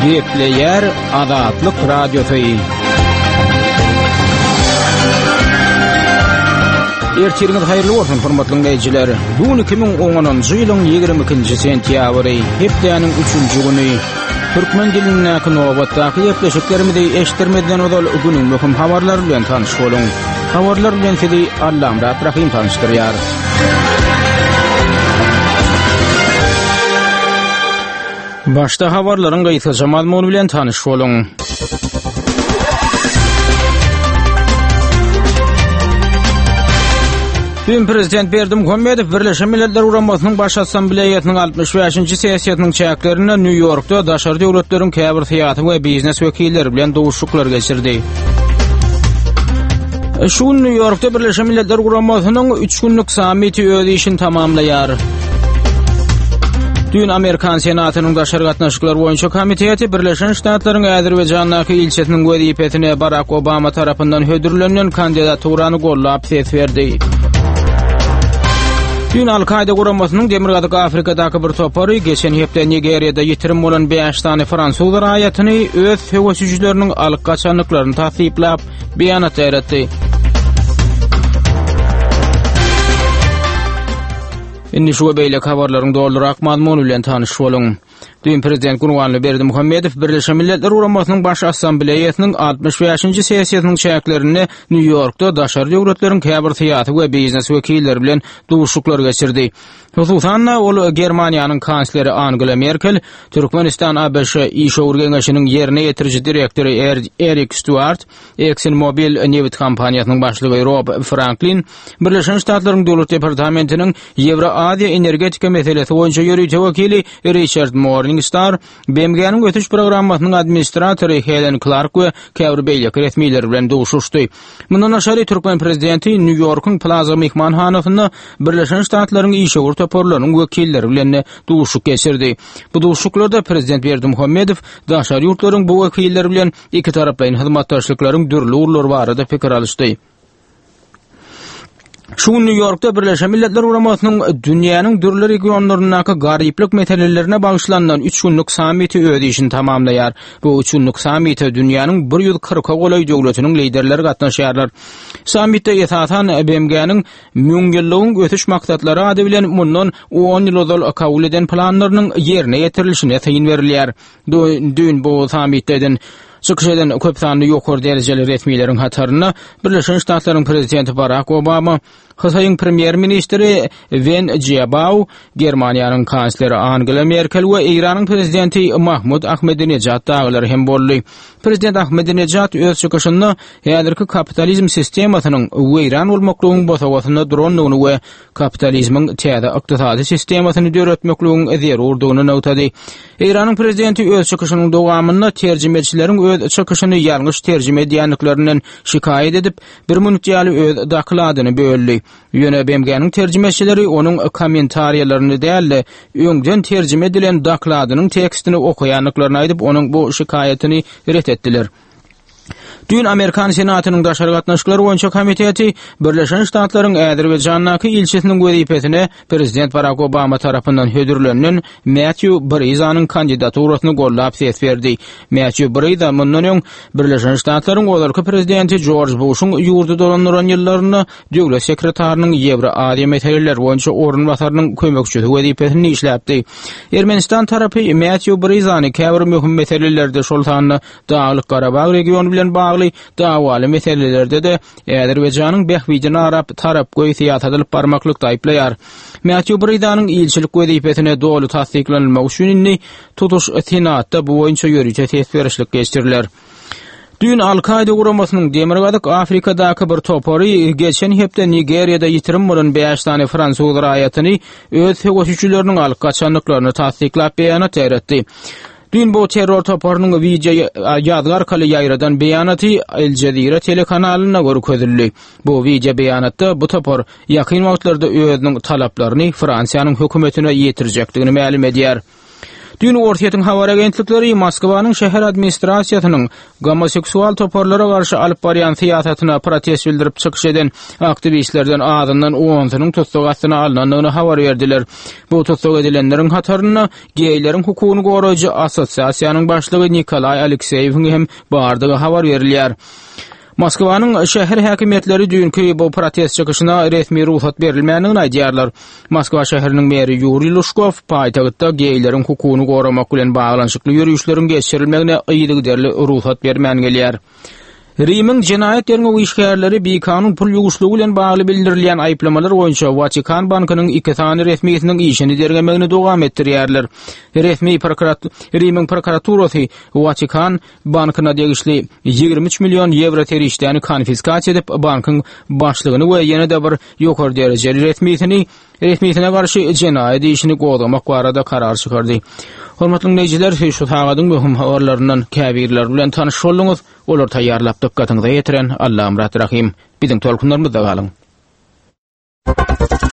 Gepleýär Azatlyk Radiosy. Ertiriňiz haýyrly bolsun, hormatly diňleýjiler. Bu gün 2010-njy ýylyň 22-nji sentýabry, hepdäniň 3-nji güni. Türkmen dilindäki nobatdaky gepleşiklerimizi eşitdirmezden ozal günüň möhüm habarlary bilen tanyş boluň. Habarlar bilen sizi Allamyrat Rahym tanyşdyrýar. Başda habarlaryň gysgaça mazmuny bilen tanyş boluň. Düýn prezident Berdimuhamedow Birleşen Milletler Guramasynyň Baş Assambleýasynyň 65-nji sessiýasynyň çäklerinde Nýu-Ýorkda daşary döwletleriň käbir syýasy we biznes wekilleri bilen duşuşyklar geçirdi. Şu gün Nýu-Ýorkda Birleşen Milletler Guramasynyň üç günlük sammiti öz işini tamamlaýar. Düýn Amerikan Senatynyň Daşary gatnaşyklar boýunça komiteti Birleşen Ştatlaryň Azerbaýjandaky ilçisiniň wezipesine Barak Obama tarapyndan hödürlenen kandidaturany gollap ses berdi. Düýn Al-Kaýda guramasynyň Demirgazyk Afrikadaky bir topary geçen hepde Nigeriýada ýitirim bolan 5 sany fransuz raýatyny öz söweşijileriniň alyp gaçandyklaryny tassyklap, beýanat ýaýratdy. Indi şu we beýleki habarlaryň dolurak mazmuny bilen tanyş boluň. Düýn prezident Gurbanguly Berdimuhamedow Birleşen Milletler Guramasynyň Baş Assambleýasynyň 65-nji sessiýasynyň çäklerinde Nýu-Ýorkda daşary döwletleriň käbir syýasy we biznes wekilleri bilen duşuşyklar geçirdi. Hususan-da, ol Germaniýanyň kansleri Angela Merkel, Türkmenistan-ABŞ işewür geňeşiniň ýerine ýetiriji direktory Erik Stýuart, ExxonMobil nebit kompaniýasynyň başlygy Rob Franklin, Birleşen Ştatlaryň Döwlet departamentiniň Ýewroaziýa energetika meselesi boýunça ýörite wekili Riçard Morningstar, BMG-niň ösüş programmasynyň administratory Helen Klark we käbir beýleki resmiler bilen duşuşdy. Mundan daşary, türkmen prezidenti Nýu-Ýorkuň Plaza myhmanhanasynda Birleşen Ştatlaryň işewür toparlarynyň wekilleri bilen-de duşuşyk geçirdi. Bu duşuşyklarda prezident Berdimuhamedow daşary ýurtlaryň bu wekilleri bilen ikitaraplaýyn hyzmatdaşlyklaryň dürli ugurlary barada pikir alyşdy. Şu gün Nýu-Ýorkda Birleşen Milletler Guramasynyň dünýäniň dürli regionlaryndaky garyplyk meselelerine bagyşlanylan üç günlük sammiti öz işini tamamlaýar. Bu üç günlük sammite dünýäniň 140-a golaý döwletiniň liderleri gatnaşýarlar. Sammitde esasan BMG-niň Müňýyllygyň ösüş maksatlary ady bilen mundan on ýyl ozal kabul eden planlarynyň ýerine ýetirilişine syn berilýär. Düýn bu sammitde eden çykyş eden köp sanly ýokary derejeli resmileriň hatarynda Birleşen Ştatlaryň prezidenti Barak Obama, Hytaýyň premýer-ministri Wen Jiabao, Germaniýanyň kansleri Angela Merkel we Eýranyň prezidenti Mahmud Ahmedinejad dagylar hem boldy. Prezident Ahmedinejad öz çykyşynda häzirki kapitalizm sistemasynyň weýran bolmaklygyň bosagasynda durandygyny we kapitalizmiň täze ykdysady sistemasyny döretmekligiň zerurdygyny nygtady. Eýranyň prezidenti öz çykyşynyň dowamynda terjimeçileriň öz çykyşyny ýalňyş terjime edýändiklerinden şikaýat edip, bir minut ýaly öz dokladyny böldi. Ýöne BMG-niň terjimeçileri onuň kommentariýalaryny däl-de, öňden terjime edilen dokladynyň tekstini okaýandyklaryny aýdyp, onuň bu şikaýatyny ret etdiler. Düýn Amerikan Senatynyň Daşary gatnaşyklar boýunça komiteti Birleşen Ştatlaryň Azerbaýjandaky ilçisiniň wezipesine prezident Barak Obama tarapyndan hödürlenilen Mätýu Brizanyň kandidaturasyny goldap ses berdi. Mätýu Briza mundan öň Birleşen Ştatlaryň ozalky prezidenti Jorj Buşuň ýurdy dolandyran ýyllarynda döwlet sekretarynyň Ýewroaziýa meseleleri boýunça orunbasarynyň kömekçisi wezipesinde işläpdi. Ermenistan tarapy Mätýu Brizany käbir möhüm meselelerde, şol sanda Daglyk-Garabag regiony bilen bagly dawaly meselelerde-de Azerbaýjanyň bähbidini arap, tarapgöý syýasat alyp barmaklykda aýyplaýar. Mätýu Brizanyň ilçilik wezipesine doly tassyklanylmagy üçin indi tutuş Senatda bu boýunça ýörite ses berişlik geçiriler. Düýn Al-Kaýda guramasynyň Demirgazyk Afrikadaky bir topary geçen hepde Nigeriýada ýitirim bolan bäş sany fransuz raýatyny öz söweşijileriniň alyp gaçandyklaryny tassyklap beýanat ýaýratdy. Düýn bu terror toparynyň wideo ýazgy arkaly ýaýradan beýanaty El Jazeera telekanalynda görkezildi. Bu wideo beýanatda bu topar ýakyn wagtlarda özüniň talaplaryny Fransiýanyň hökümetine ýetirjekdigini mälim edýär. Düýn Orsýetiň habar agentlikleri Moskwanyň şäher administrasiýasynyň gomoseksual toparlara garşy alyp barýan syýasatyna protest bildirip çykyş eden aktiwistlerden azyndan onsunyň tussag astyna alnandygyny habar berdiler. Bu tussag edilenleriň hatarynda geýleriň hukugyny goraýjy assosiasiýanyň başlygy Nikolaý Alekseýewiň hem bardygy habar berilýär. Moskwanyň şäher häkimiýetleri düýnki bu protest çykyşyna resmi rugsat berilmändigini aýdýarlar. Moskwa şäheriniň meri Ýuriý Lužkow paýtagtda geýleriň hukugyny goramak bilen baglanyşykly ýörişleriň geçirilmegine yzygiderli rugsat bermän gelýär. Rimiň jenaýat derňew işgärleri bikanun pul ýuwuşlygy bilen bagly bildirilýän aýyplamalar boýunça Watikan bankynyň iki sany resmisiniň işini derňemegini dowam etdirýärler. Resmi prokurat Rimiň prokuraturasy Watikan bankyna degişli 23 million ýewro serişdäni konfiskasiýa edip, bankyň başlygyny we ýene-de bir ýokary derejeli resmisini resmisine garşy jenaýat işini gozgamak barada karar çykardy. Hormatly diňleýjiler, şu sagadyň möhüm habarlaryndan käbirleri bilen tanyş bolduňyz. Olary taýýarlap dykgatyňyza ýetiren Allamyrat Rahym. Biziň tolkunlarymyzda galyň.